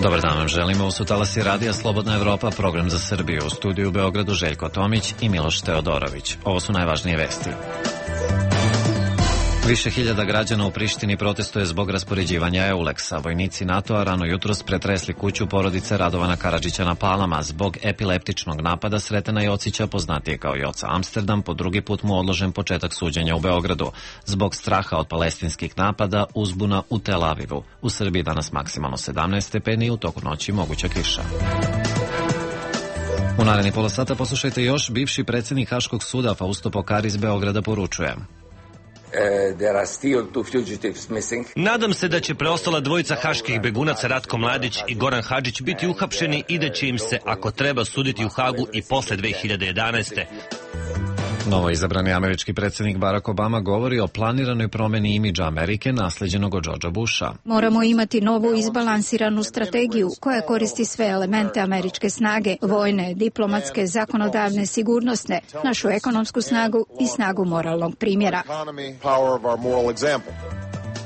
Dobar dan vam želimo, u su talasi Radija Slobodna Evropa, program za Srbiju. U studiju u Beogradu Željko Tomić i Miloš Teodorović. Ovo su najvažnije vesti. Više hiljada građana u Prištini protestuje zbog raspoređivanja Euleksa. Vojnici NATO-a rano jutros pretresli kuću porodice Radovana Karadžića na Palama. Zbog epileptičnog napada Sretena Jocića, poznatije kao Joca Amsterdam, po drugi put mu odložen početak suđenja u Beogradu. Zbog straha od palestinskih napada, uzbuna u Tel Avivu. U Srbiji danas maksimalno 17 stepeni, u toku noći moguća kiša. U naredni pola sata poslušajte još. Bivši predsjednik Haškog suda Fausto Pokari iz Beograda poručuje: Nadam se da će preostala dvojica haških begunaca Ratko Mladić i Goran Hadžić biti uhapšeni i da će im se, ako treba, suditi u Hagu i posle 2011. Novo izabrani američki predsjednik Barack Obama govori o planiranoj promjeni imidža Amerike naslijeđenog od Georgea Busha. Moramo imati novu izbalansiranu strategiju koja koristi sve elemente američke snage, vojne, diplomatske, zakonodavne, sigurnosne, našu ekonomsku snagu i snagu moralnog primjera.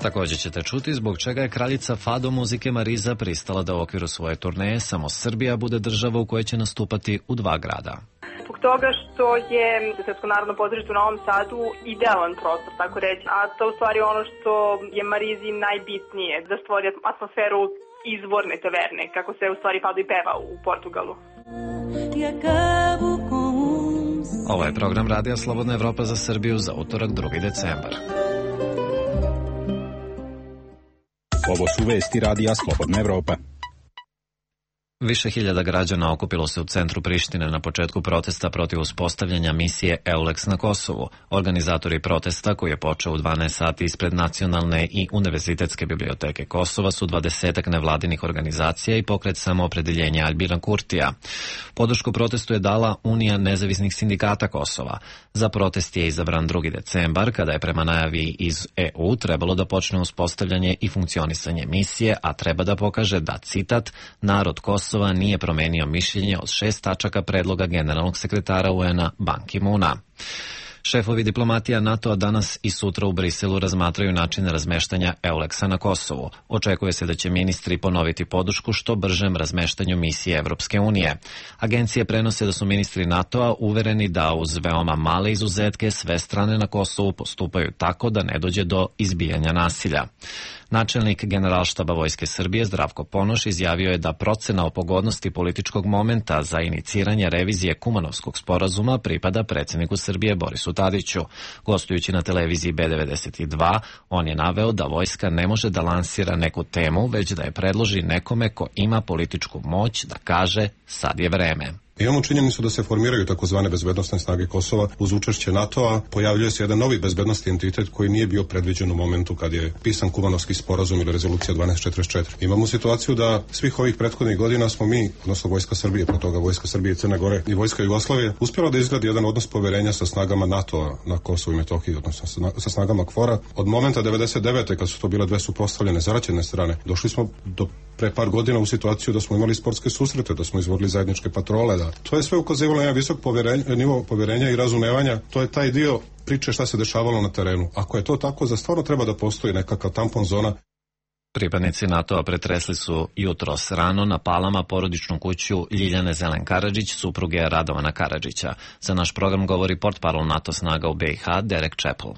Također ćete čuti zbog čega je kraljica fado muzike Mariza pristala da u okviru svoje turneje samo Srbija bude država u kojoj će nastupati u 2 grada. Zbog toga što je Srpsko narodno pozorište u Novom Sadu idealan prostor, tako reći, a to u stvari ono što je Marizi najbitnije, da stvori atmosferu izvorne taverne, kako se u stvari fado i peva u Portugalu. Ovo je program Radija Slobodna Evropa za Srbiju za utorak 2. decembar. Ovo su vesti Radija Slobodna Evropa. Više hiljada građana okupilo se u centru Prištine na početku protesta protiv uspostavljanja misije Euleks na Kosovu. Organizatori protesta, koji je počeo u 12 sati ispred Nacionalne i Univerzitetske biblioteke Kosova, su 20 nevladinih organizacija i pokret Samoopredeljenja Albina Kurtija. Podršku protestu je dala Unija nezavisnih sindikata Kosova. Za protest je izabran 2. decembar, kada je prema najavi iz EU trebalo da počne uspostavljanje i funkcionisanje misije, a treba da pokaže da, citat, narod Kosova nije promenio mišljenje od 6 tačaka predloga generalnog sekretara UN-a Ban Ki-moona. Šefovi diplomatija NATO-a danas i sutra u Briselu razmatraju način razmeštanja Euleksa na Kosovu. Očekuje se da će ministri ponoviti podršku što bržem razmeštanju misije Evropske unije. Agencije prenose da su ministri NATO-a uvereni da uz veoma male izuzetke sve strane na Kosovu postupaju tako da ne dođe do izbijanja nasilja. Načelnik Generalštaba Vojske Srbije Zdravko Ponoš izjavio je da procena o pogodnosti političkog momenta za iniciranje revizije Kumanovskog sporazuma pripada predsjedniku Srbije Borisu Tadiću. Gostujući na televiziji B92, on je naveo da vojska ne može da lansira neku temu, već da je predloži nekome ko ima političku moć da kaže sad je vreme. Imamo činjenicu da se formiraju takozvane bezbednosne snage Kosova uz učešće NATO-a. Pojavljuje se jedan novi bezbednosni entitet koji nije bio predviđen u momentu kad je pisan Kumanovski sporazum ili rezolucija 1244. Imamo situaciju da svih ovih prethodnih godina smo mi, odnosno Vojska Srbije, pre toga Vojska Srbije, Crne Gore i Vojska Jugoslavije, uspjela da izgradi jedan odnos poverenja sa snagama NATO-a na Kosovu i Metohiji, odnosno sa snagama KFOR-a. Od momenta 99. kad su to bile dve suprotstavljene zaraćene strane, došli smo do pre par godina u situaciju da smo imali sportske susrete, da smo izvodili zajedničke patrole, da to je sve ukazivalo na jedan visok nivo poverenja i razumevanja. To je taj dio priče šta se dešavalo na terenu. Ako je to tako, za stvarno treba da postoji nekakav tampon zona. Pripadnici NATO-a pretresli su jutros rano na Palama porodičnu kuću Ljiljane Zelen Karadžić, supruge Radovana Karadžića. Za naš program govori portparol NATO snaga u BiH, Derek Chappell.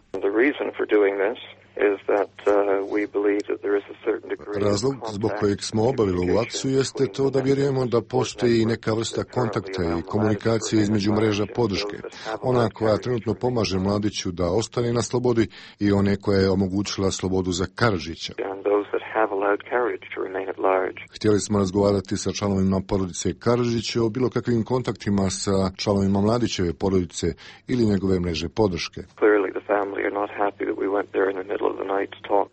Razlog zbog kojeg smo obavili ovu akciju jeste to da vjerujemo da postoji neka vrsta kontakta i komunikacije između mreža podrške. Ona koja trenutno pomaže Mladiću da ostane na slobodi i one koja je omogućila slobodu za Karadžića. Htjeli smo razgovarati sa članovima porodice Karadžića o bilo kakvim kontaktima sa članovima Mladićeve porodice ili njegove mreže podrške.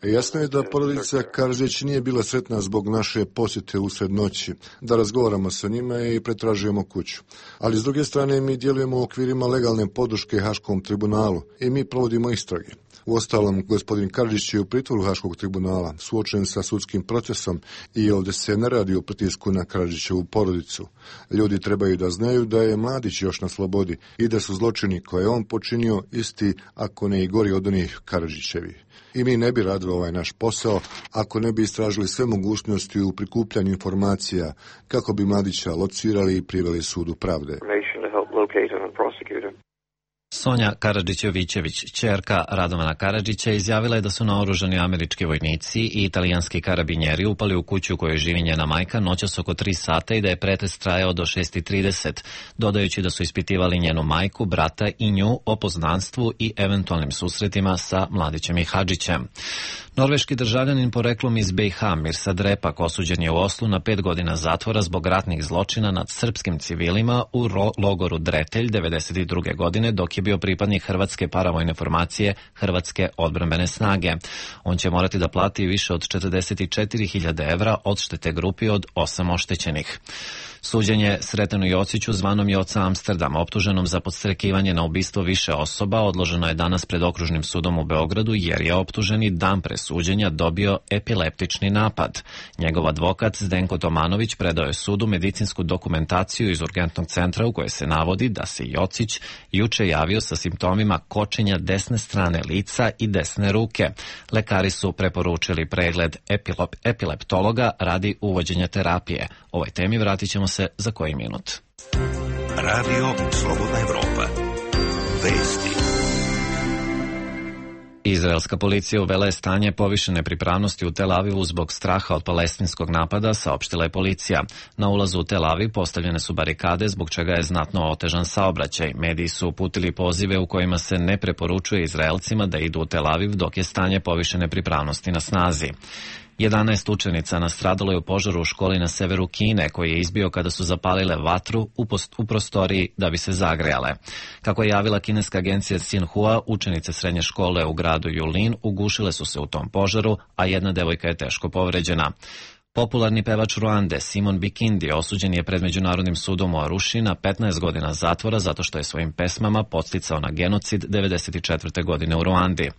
Jasno je da porodica Karadžić nije bila sretna zbog naše posjete usred noći, da razgovaramo sa njima i pretražujemo kuću. Ali s druge strane mi djelujemo u okvirima legalne podrške Haškom tribunalu i mi provodimo istrage. Uostalom, gospodin Karadžić je u pritvoru Haškog tribunala, suočen sa sudskim procesom i ovdje se ne radi o pritisku na Karadžićevu porodicu. Ljudi trebaju da znaju da je Mladić još na slobodi i da su zločini koje je on počinio isti, ako ne i gori od onih Karadžićevih. I mi ne bi radili ovaj naš posao ako ne bi istražili sve mogućnosti u prikupljanju informacija kako bi Mladića locirali i priveli sudu pravde. Sonja Karadžić-Jovićević, ćerka Radovana Karadžića, izjavila je da su naoružani američki vojnici i italijanski karabinjeri upali u kuću u kojoj živi njena majka noćas oko 3 sata i da je pretres trajao do 6:30, dodajući da su ispitivali njenu majku, brata i nju o poznanstvu i eventualnim susretima sa Mladićem i Hadžićem. Norveški državljanin poreklom iz BiH Mirsad Repak osuđen je u Oslu na 5 godina zatvora zbog ratnih zločina nad srpskim civilima u logoru Dretelj 1992. godine, dok je bio pripadnik hrvatske paravojne formacije Hrvatske odbrambene snage. On će morati da plati više od 44.000 evra odštete grupi od 8 oštećenih. Suđenje Sretenu Jociću, zvanom Joca Amsterdam, optuženom za podstrekivanje na ubistvo više osoba, odloženo je danas pred okružnim sudom u Beogradu jer je optuženi dan pre suđenja dobio epileptični napad. Njegov advokat Zdenko Tomanović predao je sudu medicinsku dokumentaciju iz urgentnog centra u kojoj se navodi da se Jocić juče javio sa simptomima kočenja desne strane lica i desne ruke. Lekari su preporučili pregled epileptologa radi uvođenja terapije. Ovoj temi vratit ćemo se za koji minut. Radio Slobodna Evropa. Vesti. Izraelska policija uvela je stanje povišene pripravnosti u Tel Avivu zbog straha od palestinskog napada, saopštila je policija. Na ulazu u Tel Aviv postavljene su barikade, zbog čega je znatno otežan saobraćaj. Mediji su uputili pozive u kojima se ne preporučuje Izraelcima da idu u Tel Aviv dok je stanje povišene pripravnosti na snazi. 11 učenica nastradalo je u požaru u školi na severu Kine, koji je izbio kada su zapalile vatru u prostoriji da bi se zagrejale. Kako je javila kineska agencija Xinhua, učenice srednje škole u gradu Yulin ugušile su se u tom požaru, a jedna devojka je teško povređena. Popularni pevač Ruande Simon Bikindi osuđen je pred Međunarodnim sudom u Aruši na 15 godina zatvora zato što je svojim pesmama podsticao na genocid 1994. godine u Ruandi.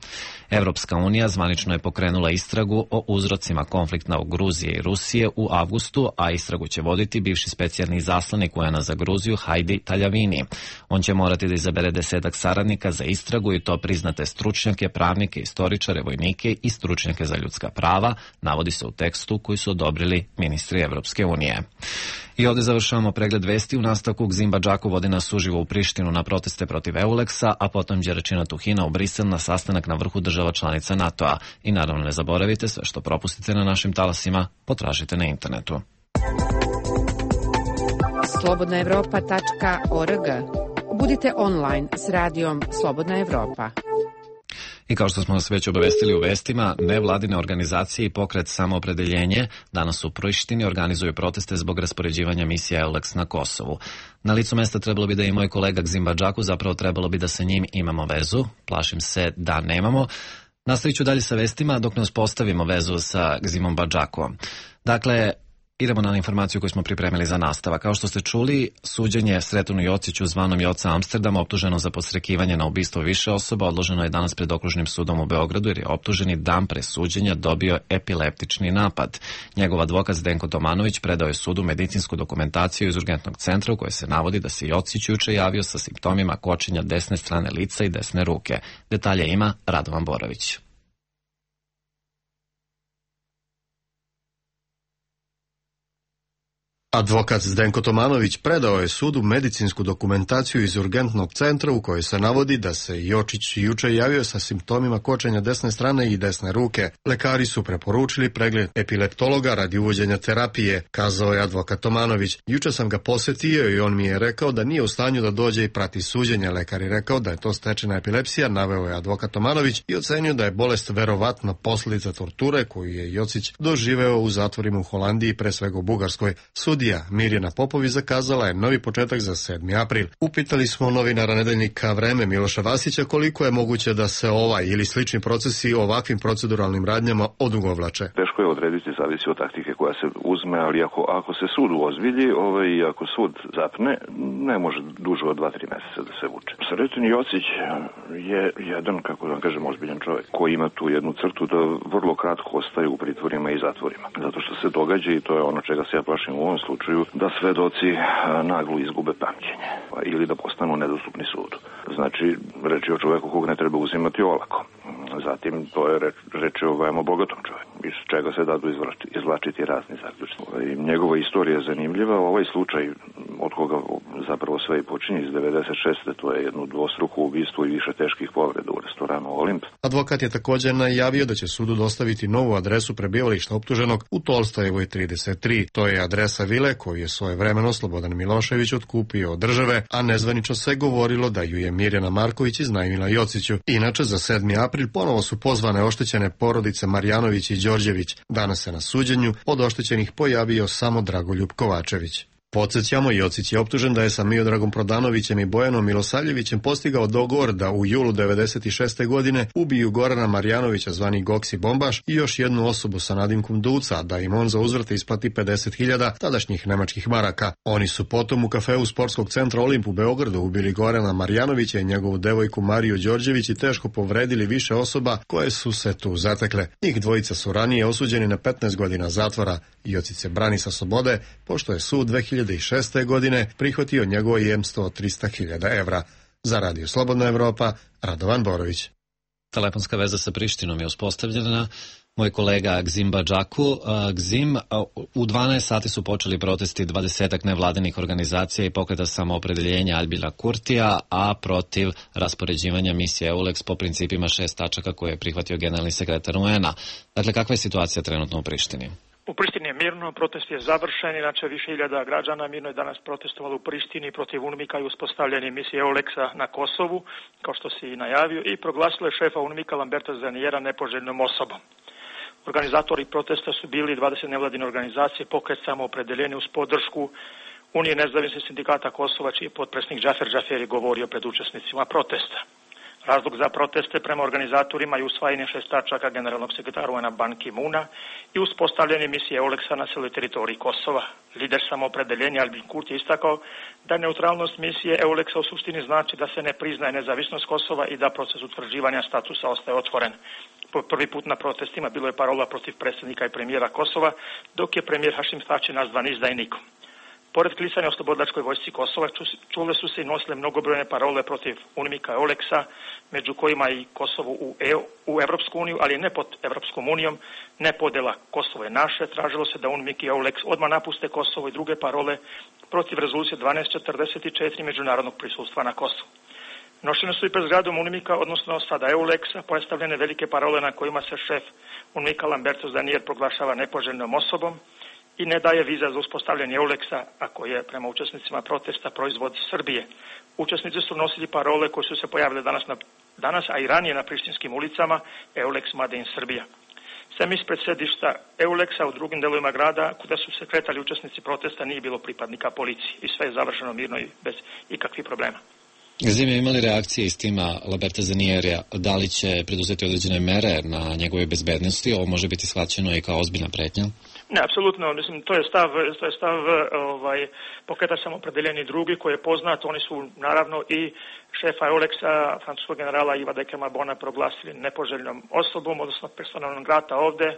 Evropska unija zvanično je pokrenula istragu o uzrocima konflikta u Gruziji i Rusije u avgustu, a istragu će voditi bivši specijalni izaslanik UN-a za Gruziju Heidi Taljavini. On će morati da izabere 10 saradnika za istragu i to priznate stručnjake, pravnike, istoričare, vojnike i stručnjake za ljudska prava, navodi se u tekstu koji su odobrili ministri Evropske unije. I ovdje završavamo pregled vesti. U nastavku Gzimba Džaku vodi nas uživo u Prištinu na proteste protiv Euleksa, a potom Đeračina Tuhina u Brisel na sastanak na vrhu država članica NATO-a. I naravno ne zaboravite, sve što propustite na našim talasima potražite na internetu. slobodnaevropa.org. Budite online s radijom Slobodna Evropa. I kao što smo vas već obavestili u vestima, nevladine organizacije i pokret Samoopredeljenje danas u Prištini organizuju proteste zbog raspoređivanja misije EULEX na Kosovu. Na licu mesta trebalo bi da je i moj kolega Gzimba Džaku, zapravo trebalo bi da sa njim imamo vezu. Plašim se da nemamo. Nastavit ću dalje sa vestima dok ne uspostavimo vezu sa Gzimom Džakom. Dakle, idemo na informaciju koju smo pripremili za nastava. Kao što ste čuli, suđenje Sretenu Jociću, zvanom Joca Amsterdam, optuženo za podstrekivanje na ubistvo više osoba, odloženo je danas pred okružnim sudom u Beogradu jer je optuženi dan pre suđenja dobio epileptični napad. Njegov advokat Zdenko Tomanović predao je sudu medicinsku dokumentaciju iz urgentnog centra u kojoj se navodi da se Jocić juče javio sa simptomima kočenja desne strane lica i desne ruke. Detalje ima Radovan Borović. Advokat Zdenko Tomanović predao je sudu medicinsku dokumentaciju iz urgentnog centra u kojoj se navodi da se Jočić juče javio sa simptomima kočenja desne strane i desne ruke. Lekari su preporučili pregled epileptologa radi uvođenja terapije, kazao je advokat Tomanović. Juče sam ga posetio i on mi je rekao da nije u stanju da dođe i prati suđenje. Lekar je rekao da je to stečena epilepsija, naveo je advokat Tomanović i ocenio da je bolest verovatno posljedica torture koju je Jocić doživeo u zatvorima u Holandiji, pre svega u Bugarskoj. Sudija Mirjana Popović zakazala je novi početak za 7. april. Upitali smo novinara nedeljnika Vreme Miloša Vasića koliko je moguće da se ovaj ili slični procesi ovakvim proceduralnim radnjama odugovlače. Teško je odrediti, zavisi od taktike koja se uzme, ali ako se sud uozbilji i ako sud zapne, ne može duže od 2-3 meseca da se vuče. Sreten Jocić je jedan, kako da kažem, ozbiljan čovjek koji ima tu jednu crtu da vrlo kratko ostaje u pritvorima i zatvorima. Zato što se događa, i to je ono čega se ja plašim u ovom slučaju, da svedoci naglo izgube pamćenje ili da postanu nedostupni sudu. Znači, reč Reč je o čoveku kog ne treba uzimati olako. Zatim, to je reč o veoma bogatom čoveku, iz čega se dadu izvlačiti razni zaključci. Njegova istorija je zanimljiva. Ovaj slučaj od koga zapravo sve i počinje iz 96. to je jedno dvostruko ubistvo i više teških povreda u restoranu Olimp. Advokat je također najavio da će sudu dostaviti novu adresu prebivališta optuženog u Tolstojevoj 33. To je adresa vile koju je svojevremeno Slobodan Milošević otkupio od države, a nezvanično se govorilo da ju je Mirjana Marković iznajmila Jociću. Inače, za 7. april ponovo su pozvane oštećene porodice Marjanović i Đorđević. Danas se na suđenju od oštećenih pojavio samo Dragoljub Kovačević. Podsjećamo, Jocić je optužen da je sa Miodragom Prodanovićem i Bojanom Milosavljevićem postigao dogovor da u julu 96. godine ubiju Gorana Marjanovića zvani Goksi Bombaš i još jednu osobu sa nadimkom Duca, da im on za uzvrte isplati 50.000 tadašnjih nemačkih maraka. Oni su potom u kafeu Sportskog centra Olimp u Beogradu ubili Gorana Marjanovića i njegovu devojku Mariju Đorđević i teško povredili više osoba koje su se tu zatekle. Njih dvojica su ranije osuđeni na 15 godina zatvora. Jocić se brani sa slobode, pošto je sud 2006. godine prihvatio njegovo jemstvo od 300.000 evra. Za Radio Slobodna Evropa, Radovan Borović. Telefonska veza sa Prištinom je uspostavljena. Moj kolega Gzim Badžaku. Gzim, u 12 sati su počeli protesti 20 nevladinih organizacija i pokreta samoopredeljenja Albina Kurtija, a protiv raspoređivanja misije EULEX po principima 6 tačaka koje je prihvatio generalni sekretar UN-a. Dakle, kakva je situacija trenutno u Prištini? U Prištini je mirno, protest je završen, inače više hiljada građana mirno je danas protestovalo u Prištini protiv UNMIK-a i uspostavljanje misije EULEX-a na Kosovu, kao što si i najavio, i proglasilo je šefa UNMIK-a Lamberta Zanijera nepoželjnom osobom. Organizatori protesta su bili 20 nevladine organizacije, pokret samoopredeljenja uz podršku Unije nezavisnih sindikata Kosova, čiji je potpredsjednik Džafer Džaferi govorio pred učesnicima protesta. Razlog za proteste prema organizatorima je usvajanje 6 tačaka generalnog sekretara UN-a Ban Ki-moona i uspostavljanje misije EULEX-a na cijeloj teritoriji Kosova. Lider samoopredeljenja Albin Kurti je istakao da neutralnost misije EULEX-a u suštini znači da se ne priznaje nezavisnost Kosova i da proces utvrđivanja statusa ostaje otvoren. Po prvi put na protestima bilo je parola protiv predsjednika i premijera Kosova, dok je premijer Hašim Tači nazvan izdajnikom. Pored klisanja o slobodlačkoj vojsci Kosova, čule su se i nosile mnogobrojne parole protiv UNMIK-a EULEX-a, među kojima i Kosovo u Evropsku uniju, ali ne pod Evropskom unijom, ne podjela Kosovo je naše. Tražilo se da UNMIK i EULEX odmah napuste Kosovo i druge parole protiv rezolucije 1244 međunarodnog prisustva na Kosovu. Nošene su i pred zgradom UNMIK-a, odnosno sada EULEX-a, postavljene velike parole na kojima se šef UNMIK-a Lamberto Zanier proglašava nepoželjnom osobom i ne daje viza za uspostavljanje EULEX-a, ako je prema učesnicima protesta proizvod Srbije. Učesnici su nosili parole koje su se pojavile danas, a i ranije na prištinskim ulicama, EULEX Made in Srbija. Sem ispred sedišta EULEX-a u drugim delovima grada, kuda su se kretali učesnici protesta, nije bilo pripadnika policije i sve je završeno mirno i bez ikakvih problema. Zime, imali reakcije iz tima Lamberta Zaniera, da li će preduzeti određene mere na njegove bezbednosti? Ovo može biti shvaćeno i kao ozbiljna pretnja? Ne, apsolutno, mislim, to je stav pokreta samoopredeljenja drugi koji je poznat. Oni su naravno i šefa EULEX-a, francuskog generala Iva Dekema Bona, proglasili nepoželjnom osobom, odnosno persona non grata ovde.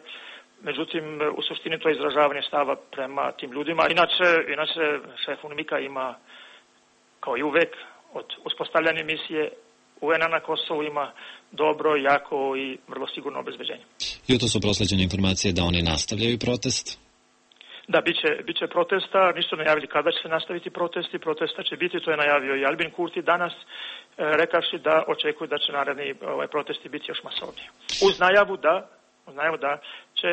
Međutim, u suštini to je izražavanje stava prema tim ljudima. Inače šef UNMIK-a ima, kao i uvek, od uspostavljanja misije UN-a na Kosovu ima dobro, jako i vrlo sigurno obezbeđenje. Jutros su prosleđene informacije da oni nastavljaju protest? Da, bit će protesta, nisu najavili kada će se nastaviti protesta će biti, to je najavio i Albin Kurti danas, rekavši da očekuju da će naredni protesti biti još masovniji. Uz najavu da će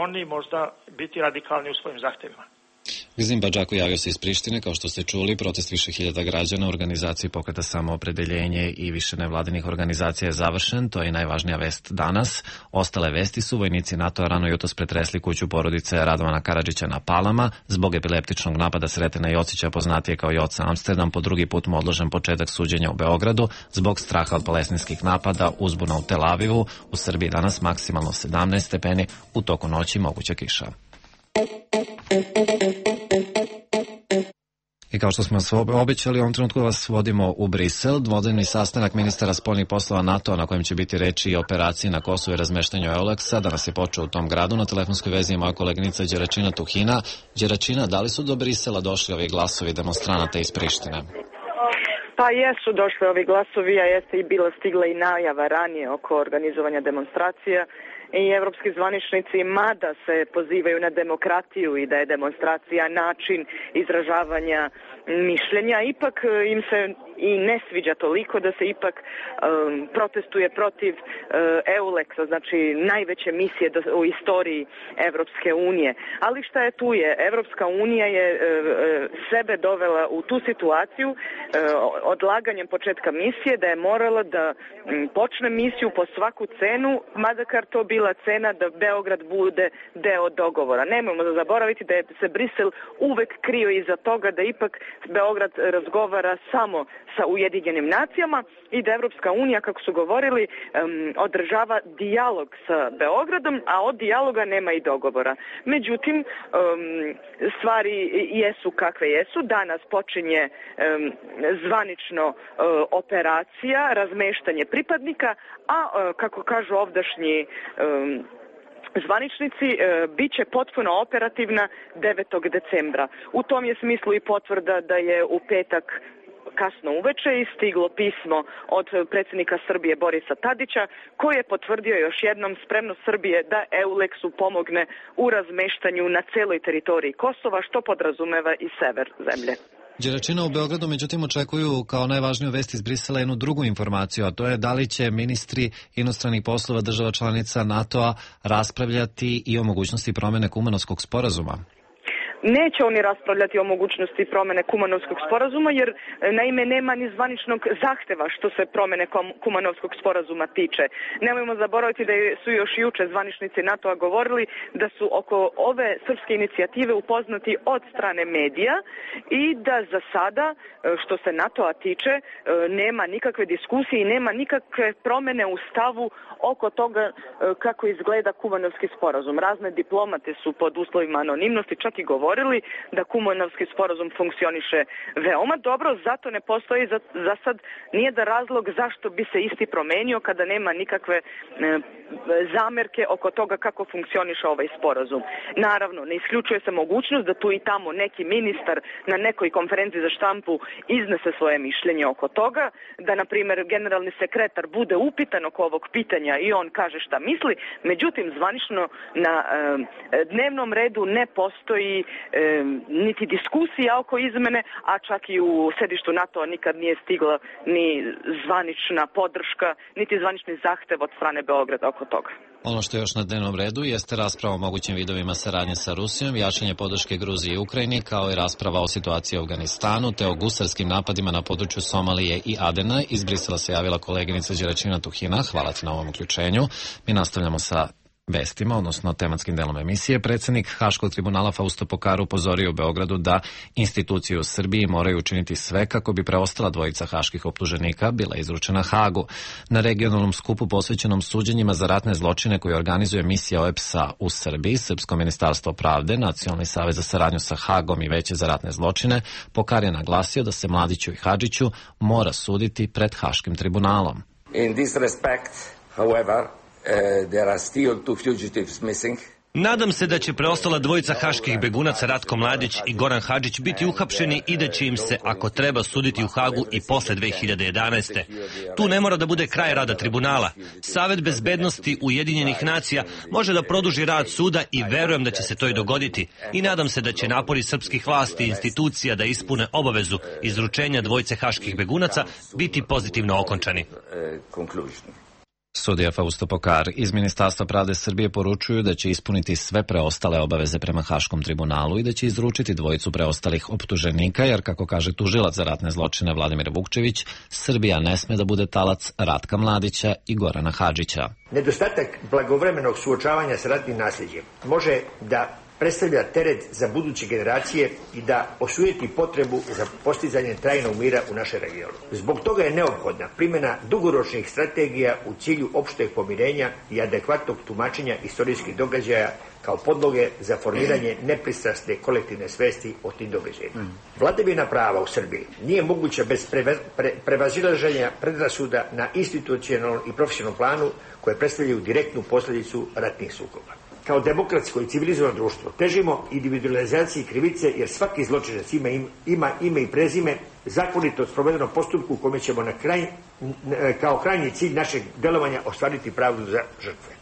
oni možda biti radikalni u svojim zahtjevima. Gzim Badžaku javio se iz Prištine, kao što ste čuli, protest više hiljada građana u organizaciji pokreta samoopredeljenje i više nevladinih organizacija je završen, to je najvažnija vest danas. Ostale vesti su vojnici NATO-a rano jutros pretresli kuću porodice Radovana Karadžića na Palama, zbog epileptičnog napada Sretena Jocića, poznatije kao Joca Amsterdam, po drugi put mu odložen početak suđenja u Beogradu, zbog straha od palestinskih napada, uzbuna u Tel Avivu. U Srbiji danas maksimalno 17 stepeni, u toku noći moguća kiša. I kao što smo obećali, u ovom trenutku vas vodimo u Brisel. Dvodnevni sastanak ministara spoljnih poslova NATO-a na kojem će biti reči i operaciji na Kosovu i razmeštanju EULEX-a. Danas je počeo u tom gradu. Na telefonskoj vezi je moja koleginica Đeračina Tuhina. Đeračina, da li su do Brisela došli ovi glasovi demonstranata iz Prištine? Pa jesu došli ovi glasovi, a jeste i bila stigla i najava ranije oko organizovanja demonstracija i evropski zvaničnici, mada se pozivaju na demokratiju i da je demonstracija način izražavanja mišljenja, ipak im se i ne sviđa toliko da se ipak protestuje protiv EULEX-a, znači najveće misije u istoriji Evropske unije. Ali šta je tu je? Evropska unija je sebe dovela u tu situaciju odlaganjem početka misije da je morala da počne misiju po svaku cenu, mada kar to bila cena da Beograd bude deo dogovora. Nemojmo da zaboraviti da je se Brisel uvek krio iza toga da ipak Beograd razgovara samo sa Ujedinjenim nacijama i da Evropska unija, kako su govorili, održava dijalog sa Beogradom, a od dijaloga nema i dogovora. Međutim, stvari jesu kakve jesu. Danas počinje zvanično operacija, razmeštanje pripadnika, a kako kažu ovdašnji zvaničnici, bit će potpuno operativna 9. decembra. U tom je smislu i potvrda da je u petak kasno uveče i stiglo pismo od predsjednika Srbije Borisa Tadića, koji je potvrdio još jednom spremnost Srbije da EULEX-u pomogne u razmeštanju na celoj teritoriji Kosova, što podrazumeva i sever zemlje. Đeračina u Beogradu međutim očekuju kao najvažniju vest iz Brisela jednu drugu informaciju, a to je da li će ministri inostranih poslova država članica NATO-a raspravljati i o mogućnosti promene Kumanovskog sporazuma. Neće oni raspravljati o mogućnosti promene Kumanovskog sporazuma, jer naime nema ni zvaničnog zahteva što se promene Kumanovskog sporazuma tiče. Nemojmo zaboraviti da su još juče zvaničnici NATO-a govorili da su oko ove srpske inicijative upoznati od strane medija i da za sada, što se NATO-a tiče, nema nikakve diskusije i nema nikakve promene u stavu oko toga kako izgleda Kumanovski sporazum. Razne diplomate su pod uslovima anonimnosti čak i govorili da Kumanovski sporazum funkcioniše veoma dobro, zato ne postoji za sad nijedan razlog zašto bi se isti promenio kada nema nikakve zamerke oko toga kako funkcioniše ovaj sporazum. Naravno, ne isključuje se mogućnost da tu i tamo neki ministar na nekoj konferenciji za štampu iznese svoje mišljenje oko toga, da na primjer generalni sekretar bude upitan oko ovog pitanja i on kaže šta misli, međutim zvanično na dnevnom redu ne postoji niti diskusija oko izmene, a čak i u sedištu NATO-a nikad nije stigla ni zvanična podrška, niti zvanični zahtev od strane Beograda oko toga. Ono što je još na dnevnom redu jeste rasprava o mogućim vidovima saradnje sa Rusijom, jačanje podrške Gruziji i Ukrajini, kao i rasprava o situaciji u Afganistanu, te o gusarskim napadima na području Somalije i Adena. Iz Brisela se javila koleginica Đeračina Tuhina. Hvala ti na ovom uključenju. Mi nastavljamo sa vestima, odnosno tematskim delom emisije. Predsjednik Haškog tribunala Fausto Pokar upozorio u Beogradu da institucije u Srbiji moraju učiniti sve kako bi preostala dvojica haških optuženika bila izručena Hagu. Na regionalnom skupu posvećenom suđenjima za ratne zločine koji organizuje misija OEBS-a u Srbiji, Srpsko ministarstvo pravde, Nacionalni savez za saradnju sa Hagom i Veće za ratne zločine, Pokar je naglasio da se Mladiću i Hadžiću mora suditi pred Haškim tribunalom. In this respect, however, there are still two fugitives missing. Nadam se da će preostala dvojica haških begunaca Ratko Mladić i Goran Hadžić biti uhapšeni i da će im se, ako treba, suditi u Hagu i posle 2011. Tu ne mora da bude kraj rada tribunala. Savet bezbednosti Ujedinjenih nacija može da produži rad suda i verujem da će se to i dogoditi. I nadam se da će napori srpskih vlasti i institucija da ispune obavezu izručenja dvojice haških begunaca biti pozitivno okončani. Sudija Fausto Pokar iz Ministarstva pravde Srbije poručuju da će ispuniti sve preostale obaveze prema Haškom tribunalu i da će izručiti dvojicu preostalih optuženika, jer, kako kaže tužilac za ratne zločine Vladimir Vukčević, Srbija ne sme da bude talac Ratka Mladića i Gorana Hadžića. Nedostatak blagovremenog suočavanja sa ratnim nasljeđem može da predstavlja teret za buduće generacije i da osujeti potrebu za postizanje trajnog mira u našem regionu. Zbog toga je neophodna primjena dugoročnih strategija u cilju opšteg pomirenja i adekvatnog tumačenja istorijskih događaja kao podloge za formiranje nepristrasne kolektivne svesti o tim događajima. Vladavina prava u Srbiji nije moguća bez prevazilaženja predrasuda na institucionalnom i profesionalnom planu koje predstavljaju direktnu posljedicu ratnih sukoba. Kao demokratsko i civilizovano društvo težimo individualizaciji krivice jer svaki zločinac ima ime i prezime zakonito sprovedenom postupku u kome ćemo kao krajnji cilj našeg delovanja ostvariti pravdu za žrtve.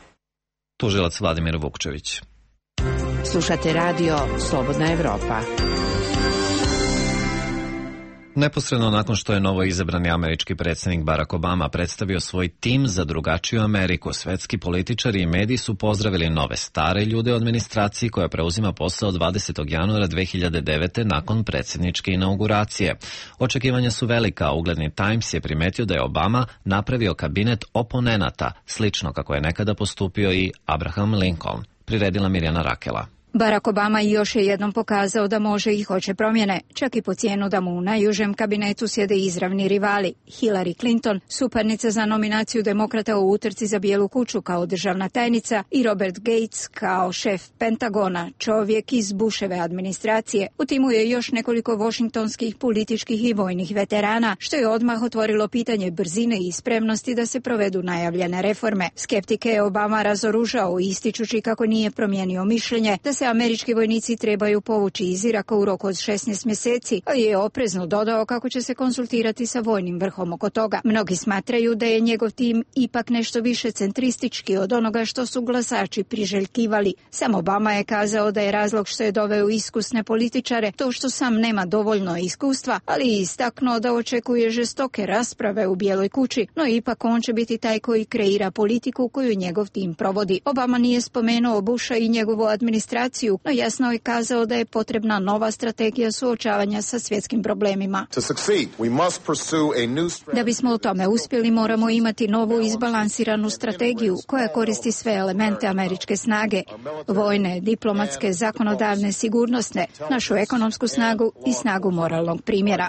Tužilac Vladimir Vukčević. Slušate radio Slobodna Evropa. Neposredno nakon što je novo izabrani američki predsjednik Barack Obama predstavio svoj tim za drugačiju Ameriku, svetski političari i mediji su pozdravili nove stare ljude u administraciji koja preuzima posao 20. januara 2009. nakon predsjedničke inauguracije. Očekivanja su velika, a ugledni Times je primetio da je Obama napravio kabinet oponenata, slično kako je nekada postupio i Abraham Lincoln. Priredila Mirjana Rakela. Barack Obama još je jednom pokazao da može i hoće promjene, čak i po cijenu da mu u najužem kabinetu sjede izravni rivali. Hillary Clinton, suparnica za nominaciju demokrata u utrci za Bijelu kuću kao državna tajnica, i Robert Gates kao šef Pentagona, čovjek iz Bushove administracije. U timu je još nekoliko washingtonskih političkih i vojnih veterana, što je odmah otvorilo pitanje brzine i spremnosti da se provedu najavljene reforme. Skeptike je Obama razoružao, ističući kako nije promijenio mišljenje da se američki vojnici trebaju povući iz Iraka u roku od 16 mjeseci, ali je oprezno dodao kako će se konsultirati sa vojnim vrhom oko toga. Mnogi smatraju da je njegov tim ipak nešto više centristički od onoga što su glasači priželjkivali. Sam Obama je kazao da je razlog što je doveo iskusne političare to što sam nema dovoljno iskustva, ali i istaknuo da očekuje žestoke rasprave u Bijeloj kući, no ipak on će biti taj koji kreira politiku koju njegov tim provodi. Obama nije spomenuo Busha i njegovu administraciju, no jasno je kazao da je potrebna nova strategija suočavanja sa svjetskim problemima. Da bismo u tome uspjeli, moramo imati novu izbalansiranu strategiju koja koristi sve elemente američke snage, vojne, diplomatske, zakonodavne, sigurnosne, našu ekonomsku snagu i snagu moralnog primjera.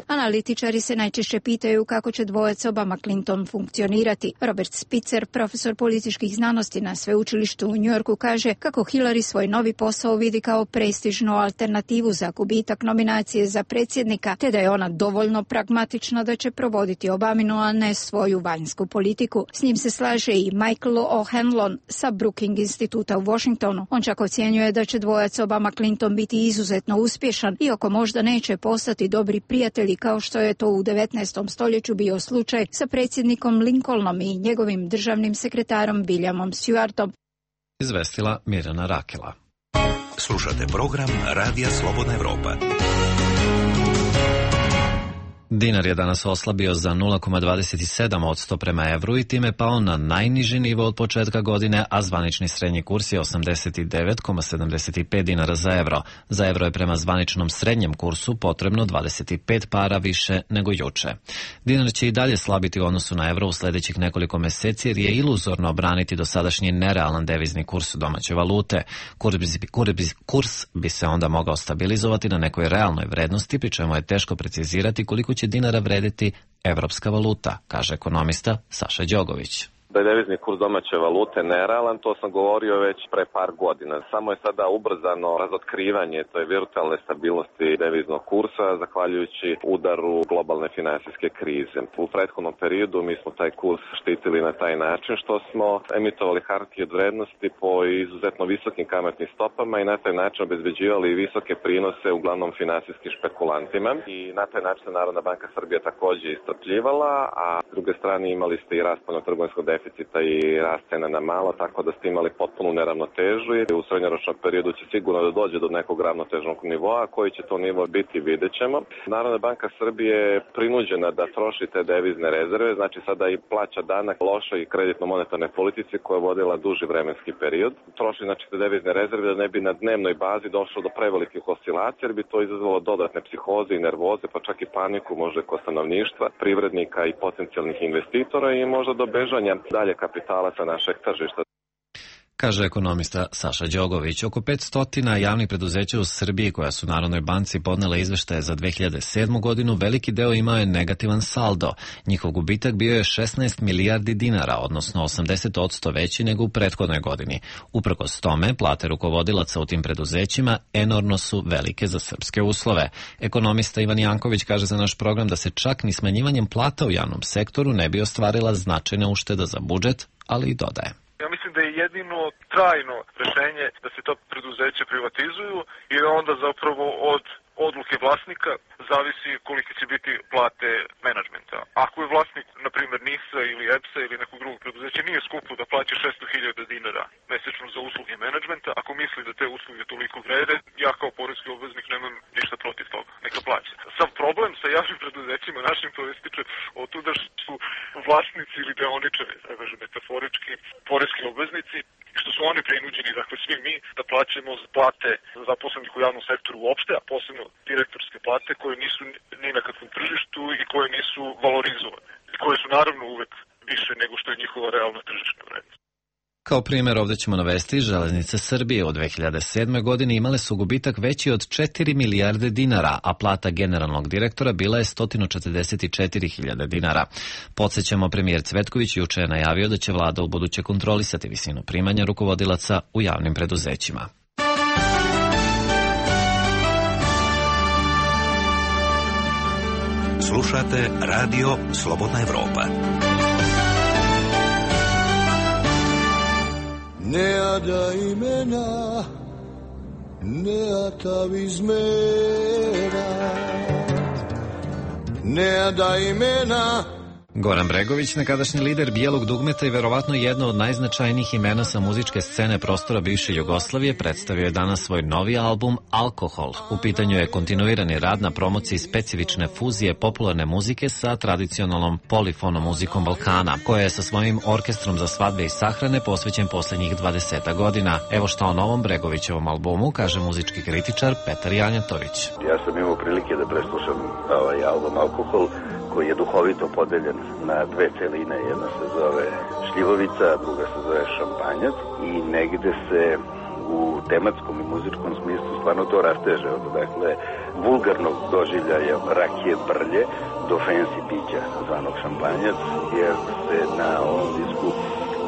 Analitičari se najčešće pitaju kako će dvojac Obama-Clinton funkcionirati. Robert Spitzer, profesor političkih znanosti na sveučilištu u New Yorku, kaže kako Hillary svoj novi posao vidi kao prestižnu alternativu za gubitak nominacije za predsjednika, te da je ona dovoljno pragmatična da će provoditi Obaminu, a ne svoju vanjsku politiku. S njim se slaže i Michael O'Hanlon sa Brookings instituta u Washingtonu. On čak ocjenjuje da će dvojac Obama-Clinton biti izuzetno uspješan, iako možda neće postati dobri prijatelji kao što je to u 19. stoljeću bio slučaj sa predsjednikom Lincolnom i njegovim državnim sekretarom Williamom Stewartom. Izvestila Mirjana Rakela. Slušate program Radija Slobodna Evropa. Dinar je danas oslabio za 0,27% prema evru i time pao na najniži nivo od početka godine, a zvanični srednji kurs je 89,75 dinara za evro. Za evro je prema zvaničnom srednjem kursu potrebno 25 para više nego juče. Dinar će i dalje slabiti u odnosu na evro u sljedećih nekoliko mjeseci jer je iluzorno obraniti dosadašnji nerealan devizni kurs domaće valute. Kurs bi se onda mogao stabilizovati na nekoj realnoj vrednosti, pri čemu je teško precizirati koliko će dinara vrediti evropska valuta, kaže ekonomista Saša Đogović. Da je devizni kurs domaće valute nerealan, to sam govorio već pre par godina. Samo je sada ubrzano razotkrivanje toj virtualne stabilnosti deviznog kursa, zahvaljujući udaru globalne finansijske krize. U prethodnom periodu mi smo taj kurs štitili na taj način što smo emitovali hartije od vrednosti po izuzetno visokim kamatnim stopama i na taj način obezbeđivali visoke prinose uglavnom finansijskim špekulantima. I na taj način Narodna banka Srbije također istrpljivala, a s druge strane imali ste i rast spoljnotrgovinskog deficita i rast cena na malo, tako da ste imali potpunu neravnotežu i u srednjoročnom periodu će sigurno da dođe do nekog ravnotežnog nivoa. Koji će to nivo biti, vidjet ćemo. Narodna banka Srbije je prinuđena da troši te devizne rezerve, znači sada i plaća danak lošoj i kreditno-monetarnoj politici koja je vodila duži vremenski period. Troši znači te devizne rezerve da ne bi na dnevnoj bazi došlo do prevelikih oscilacija, jer bi to izazvalo dodatne psihoze i nervoze, pa čak i paniku možda kod stanovništva, privrednika i potencijalnih investitora i možda do bežanja dalje kapitala sa našeg tržišta. Kaže ekonomista Saša Đogović. Oko 500 javnih preduzeća u Srbiji koja su Narodnoj banci podnela izveštaje za 2007. godinu, veliki deo imao je negativan saldo. Njihov gubitak bio je 16 milijardi dinara, odnosno 80% veći nego u prethodnoj godini. Uprkos tome, plate rukovodilaca u tim preduzećima enormno su velike za srpske uslove. Ekonomista Ivan Janković kaže za naš program da se čak ni smanjivanjem plata u javnom sektoru ne bi ostvarila značajna ušteda za budžet, ali i dodaje. Ja mislim da je jedino trajno rešenje da se to preduzeće privatizuju i onda zapravo od odluke vlasnika zavisi kolike će biti plate menadžmenta. Ako je vlasnik, na primjer, NIS-a ili EPS-a ili nekog drugog preduzeća, nije skupo da plaća 600.000 dinara mesečno za usluge menadžmenta. Ako misli da te usluge toliko vrede, ja kao poreski obveznik nemam ništa protiv toga. Neka plaća. Sav problem sa javnim preduzećima našim proističe od tuda što su vlasnici ili deoničari, da kažem metaforički, poreski obveznici, što su oni prinuđeni, dakle svi mi, da plaćamo plate zaposlenih u javnom sektoru uopšte, a posebno direktorske plate koje nisu ni na kakvom tržištu i koje nisu valorizovane. I koje su naravno uvek više nego što je njihova realna tržišna vrednost. Kao primjer ovdje ćemo navesti Železnice Srbije. U 2007. godini imale su gubitak veći od 4 milijarde dinara, a plata generalnog direktora bila je 144.000 dinara. Podsjećamo, premijer Cvetković juče je najavio da će vlada ubuduće kontrolisati visinu primanja rukovodilaca u javnim preduzećima. Slušate Radio Slobodna Evropa. Nea da imena, nea ta vizmera, nea da imena. Goran Bregović, nekadašnji lider Bijelog dugmeta i verovatno jedno od najznačajnijih imena sa muzičke scene prostora bivše Jugoslavije, predstavio je danas svoj novi album Alkohol. U pitanju je kontinuirani rad na promociji specifične fuzije popularne muzike sa tradicionalnom polifonom muzikom Balkana, koja je sa svojim orkestrom za svadbe i sahrane posvećen posljednjih 20 godina. Evo šta o novom Bregovićevom albumu kaže muzički kritičar Petar Janjatović. Ja sam imao prilike da preslušam ovaj album Alkohol, koji je duhovito podeljen na dve celine. Jedna se zove Šljivovica, a druga se zove Šampanjac i negde se u tematskom i muzičkom smislu stvarno to rasteže od vulgarnog doživljaja rakije brlje do fancy pića zvanog Šampanjac, jer se na ovom disku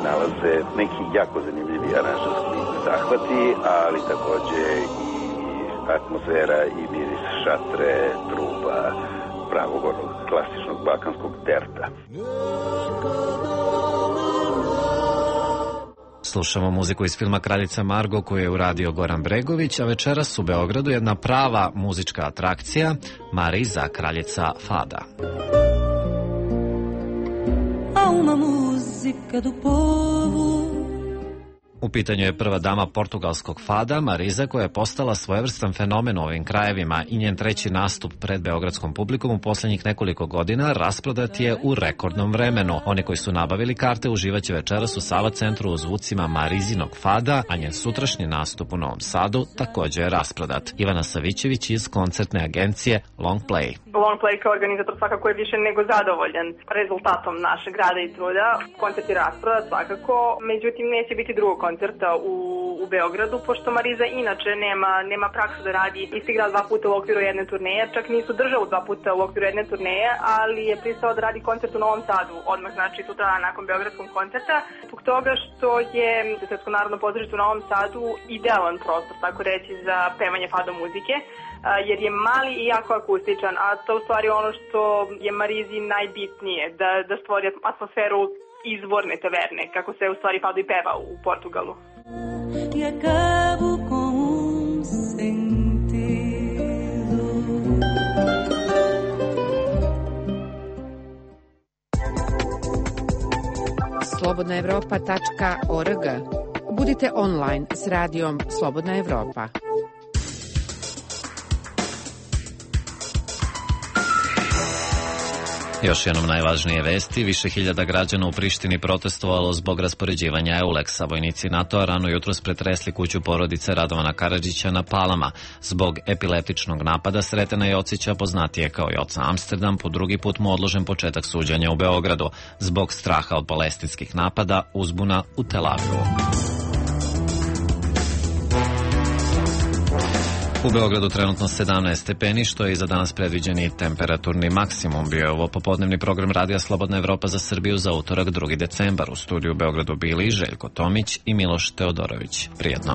nalaze neki jako zanimljivi aranžerski zahvati, ali takođe i atmosfera i miris šatre, truba, pravog onog klasičnog balkanskog terta. Slušamo muziku iz filma Kraljica Margo koju je uradio Goran Bregović, a večeras u Beogradu jedna prava muzička atrakcija, Mariza, kraljica fada. A uma música do povo. U pitanju je prva dama portugalskog fada, Mariza, koja je postala svojevrstan fenomen u ovim krajevima i njen treći nastup pred beogradskom publikom u posljednjih nekoliko godina rasprodat je u rekordnom vremenu. Oni koji su nabavili karte uživaće večeras u Sava centru u zvucima Marizinog fada, a njen sutrašnji nastup u Novom Sadu također je rasprodat. Ivana Savićević iz koncertne agencije Long Play. Long Play kao organizator svakako je više nego zadovoljan rezultatom našeg rada i truda. Koncert je rasprodat svakako, međutim neće biti drugog koncerta u Beogradu, pošto Mariza inače nema praksu da radi isti grad dva puta u okviru jedne turneje, čak nisu državu dva puta u okviru jedne turneje, ali je pristao da radi koncert u Novom Sadu, odmah znači sutra nakon beogradskog koncerta, zbog toga što je Srpsko narodno pozorište u Novom Sadu idealan prostor, tako reći, za pevanje fado muzike, jer je mali i jako akustičan, a to u stvari ono što je Marizi najbitnije, da stvori atmosferu izvorne taverne, kako se u stvari fado i peva u Portugalu. slobodnaevropa.org. Budite online s radijom Slobodna Evropa. Još jednom najvažnije vesti, više hiljada građana u Prištini protestovalo zbog raspoređivanja EULEX-a. Vojnici NATO-a rano jutros pretresli kuću porodice Radovana Karadžića na Palama. Zbog epileptičnog napada Sretena Jocića, poznatije kao Joca Amsterdam, po drugi put mu odložen početak suđenja u Beogradu. Zbog straha od palestinskih napada, uzbuna u Tel Avivu. U Beogradu trenutno 17 stepeni, što je i za danas predviđeni temperaturni maksimum. Bio je ovo popodnevni program Radija Slobodna Evropa za Srbiju za utorak 2. decembar. U studiju u Beogradu bili Željko Tomić i Miloš Teodorović. Prijetno.